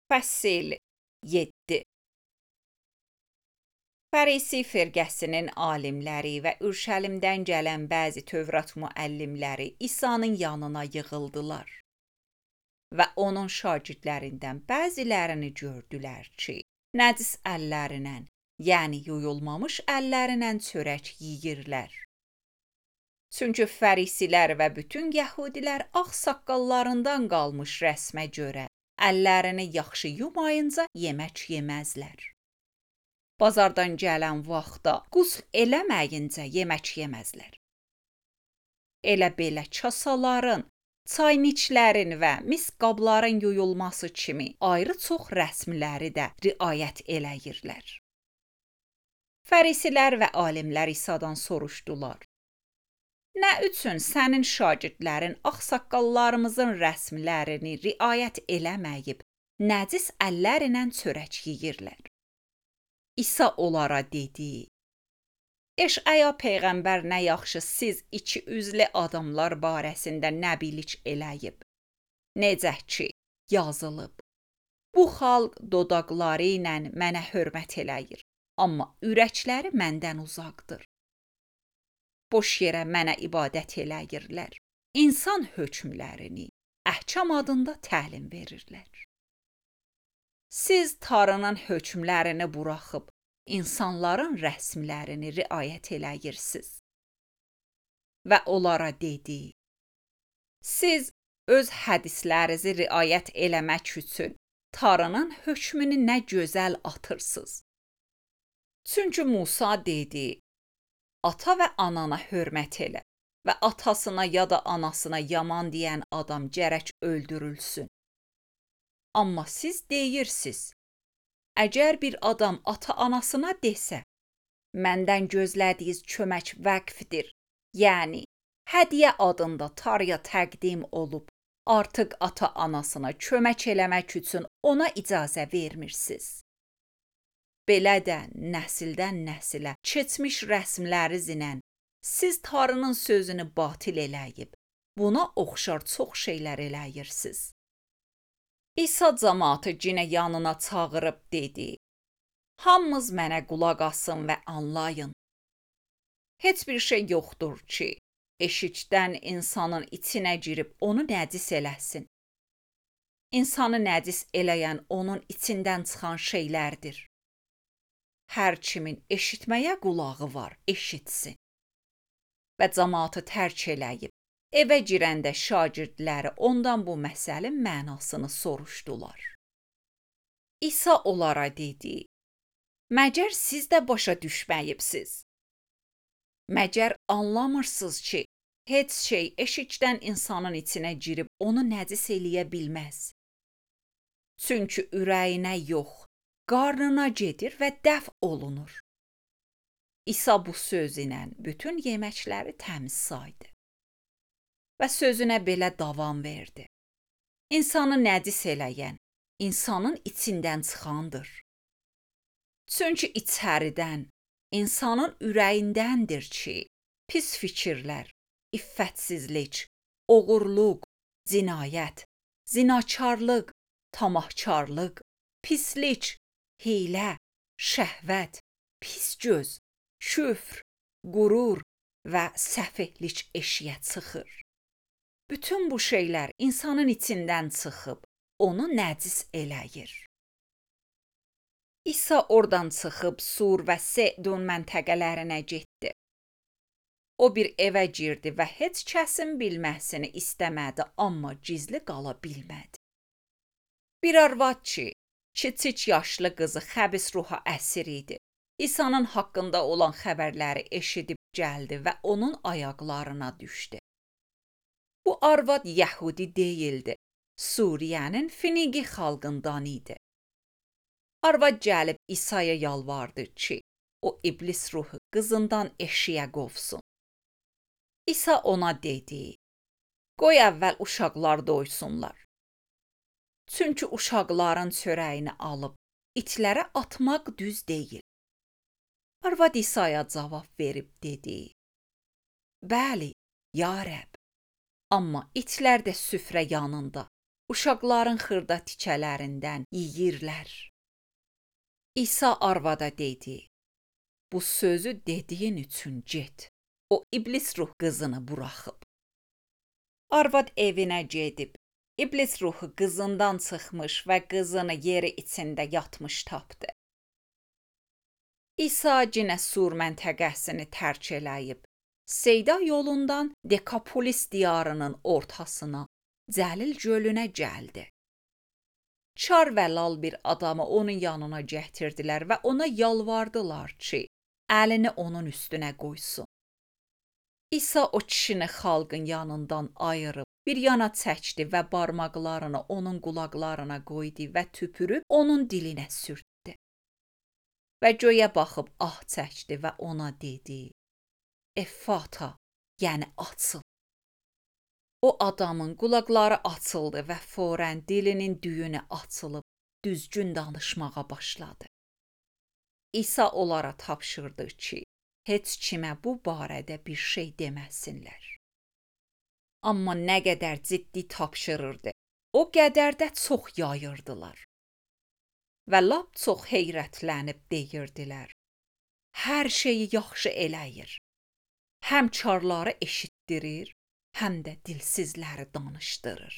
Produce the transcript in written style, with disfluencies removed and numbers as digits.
Fəsil 7. Fərisi firqəsinin alimləri və Ürşəlimdən gələn bəzi Tövrat müəllimləri İsa'nın yanına yığıldılar və onun şagirdlərindən bəzilərini gördülər ki, nəcis əllərlə, yəni yuyulmamış əllərlə çörək yeyirlər. Çünki fərisilər və bütün yəhudilər ağsaqqallarından qalmış rəsmə görə əllərini yaxşı yumayınca yemək yeməzlər. Bazardan gələn vaxtda qusl eləməyincə yemək yeməzlər. Elə belə kasaların, çayniçlərin və mis qabların yuyulması kimi ayrı çox rəsmləri də riayət eləyirlər. Fərisilər və alimlər İsa'dan soruşdular: Nə üçün sənin şagirdlərin ağsaqqallarımızın rəsmlərini riayət eləməyib, nəcis əllərlə çörək yeyirlər? İsa onlara dedi: Eşaya peyğəmbər nə yaxşı siz iki üzlü adamlar barəsində nəbilik eləyib. Necə ki, yazılıb: Bu xalq dodaqları ilə mənə hörmət eləyir, amma ürəkləri məndən uzaqdır. Boş yerə mənə ibadət eləyirlər. İnsan hökmlərini əhkam adında təlim verirlər. Siz Tanrının hökmlərini buraxıb insanların rəsmlərini riayət eləyirsiniz. Və onlara dedi: Siz öz hədislərinizi riayət eləmək üçün Tanrının hökmünü nə gözəl atırsınız. Çünki Musa dedi: Ata və anana hörmət elə və atasına ya da anasına yaman deyən adam gərək öldürülsün. Amma siz deyirsiniz: Əgər bir adam ata-anasına desə, məndən gözlədiyiniz kömək vəqfdir, yəni hədiyyə adında Tanrıya təqdim olub, artıq ata-anasına kömək eləmək üçün ona icazə vermirsiniz. Belə də nəsildən nəsilə keçmiş rəsmlərinizlə siz Tanrının sözünü batil eləyib, buna oxşar çox şeylər eləyirsiniz. İsa cəmaatı yenə yanına çağırıb dedi: Hamınız mənə qulaq asın və anlayın. Heç bir şey yoxdur ki, eşikdən insanın içinə girib onu nəcis eləsin. İnsanı nəcis eləyən onun içindən çıxan şeylərdir. Hər kimin eşitməyə qulağı var, eşitsin. Və cəmaatı tərk eləyib, evə girəndə şagirdləri ondan bu məsəlin mənasını soruşdular. İsa onlara dedi: Məgər siz də başa düşməyibsiz? Məgər anlamırsınız ki, heç şey eşikdən insanın içinə girib onu nəcis eləyə bilməz. Çünki ürəyinə yox, qarnına gedir və dəf olunur. İsa bu söz ilə bütün yeməkləri təmiz saydı. Və sözünə belə davam verdi: İnsanı nəcis eləyən, insanın içindən çıxandır. Çünki içəridən, insanın ürəyindəndir ki, pis fikirlər, iffətsizlik, oğurluq, cinayət, zinakarlıq, tamahkarlıq, pislik, hiylə, şəhvət, pis göz, küfr, qürur və səfehlik eşiyə çıxır. Bütün bu şeylər insanın içindən çıxıb, onu nəcis eləyir. İsa oradan çıxıb Sur və Sidon məntəqələrinə getdi. O bir evə girdi və heç kəsin bilməsini istəmədi, amma gizli qala bilmədi. Bir arvad ki, kiçik yaşlı qızı xəbis ruha əsir idi, İsa'nın haqqında olan xəbərləri eşidib gəldi və onun ayaqlarına düşdü. Bu arvad Yəhudi deyildi, Suriyənin Finiqi xalqından idi. Arvad gəlib İsa'ya yalvardı ki, o iblis ruhu qızından eşiyə qovsun. İsa ona dedi: Qoy əvvəl uşaqlar doysunlar. Çünki uşaqların çörəyini alıb itlərə atmaq düz deyil. Arvad İsa'ya cavab verib dedi: Bəli, ya Rəbb, amma itlər də süfrə yanında uşaqların xırda tikələrindən yeyirlər. İsa arvada dedi, bu sözü dediyin üçün get. O iblis ruh qızını buraxıb. Arvad evinə gedib, iblis ruhu qızından çıxmış və qızını yeri içində yatmış tapdı. İsa cinə Sur məntəqəsini tərk eləyib, Seyda yolundan Dekapolis diyarının ortasına, Cəlil gölünə gəldi. Çar və lal bir adamı onun yanına gətirdilər və ona yalvardılar ki, əlini onun üstünə qoysun. İsa o kişini xalqın yanından ayırıb, bir yana çəkdi və barmaqlarını onun qulaqlarına qoydu və tüpürüb onun dilinə sürtdü. Və göyə baxıb ah çəkdi və ona dedi, Effata, yəni açıl. O adamın qulaqları açıldı və forən dilinin düyünü açılıb, düzgün danışmağa başladı. İsa onlara tapşırdı ki, heç kimə bu barədə bir şey deməsinlər. Amma nə qədər ciddi tapşırırdı, o qədər də çox yayırdılar. Və lap çox heyrətlənib deyirdilər, hər şeyi yaxşı eləyir. Həm çarları eşitdirir, həm də dilsizləri danışdırır.